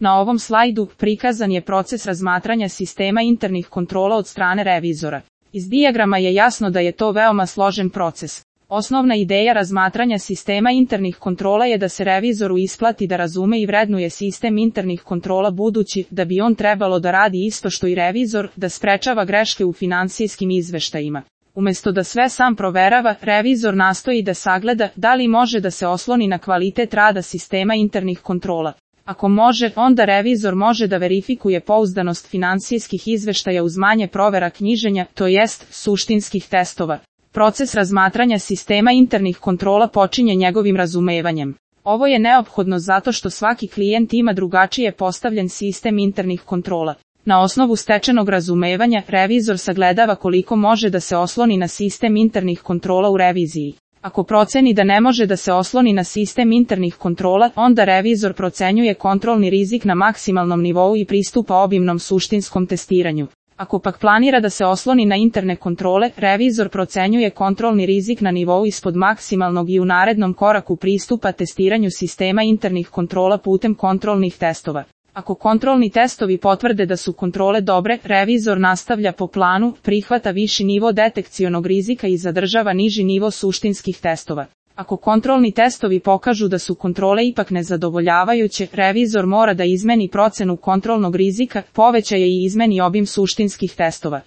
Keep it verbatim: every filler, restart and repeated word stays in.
Na ovom slajdu prikazan je proces razmatranja sistema internih kontrola od strane revizora. Iz dijagrama je jasno da je to veoma složen proces. Osnovna ideja razmatranja sistema internih kontrola je da se revizoru isplati da razume i vrednuje sistem internih kontrola budući da bi on trebalo da radi isto što i revizor, da sprečava greške u finansijskim izveštajima. Umesto da sve sam proverava, revizor nastoji da sagleda da li može da se osloni na kvalitet rada sistema internih kontrola. Ako može, onda revizor može da verifikuje pouzdanost finansijskih izveštaja uz manje provera knjiženja, to jest suštinskih testova. Proces razmatranja sistema internih kontrola počinje njegovim razumevanjem. Ovo je neophodno zato što svaki klijent ima drugačije postavljen sistem internih kontrola. Na osnovu stečenog razumevanja, revizor sagledava koliko može da se osloni na sistem internih kontrola u reviziji. Ako proceni da ne može da se osloni na sistem internih kontrola, onda revizor procenjuje kontrolni rizik na maksimalnom nivou i pristupa obimnom suštinskom testiranju. Ako pak planira da se osloni na interne kontrole, revizor procenjuje kontrolni rizik na nivou ispod maksimalnog i u narednom koraku pristupa testiranju sistema internih kontrola putem kontrolnih testova. Ako kontrolni testovi potvrde da su kontrole dobre, revizor nastavlja po planu, prihvata viši nivo detekcionog rizika i zadržava niži nivo suštinskih testova. Ako kontrolni testovi pokažu da su kontrole ipak nezadovoljavajuće, revizor mora da izmeni procenu kontrolnog rizika, poveća je i izmeni obim suštinskih testova.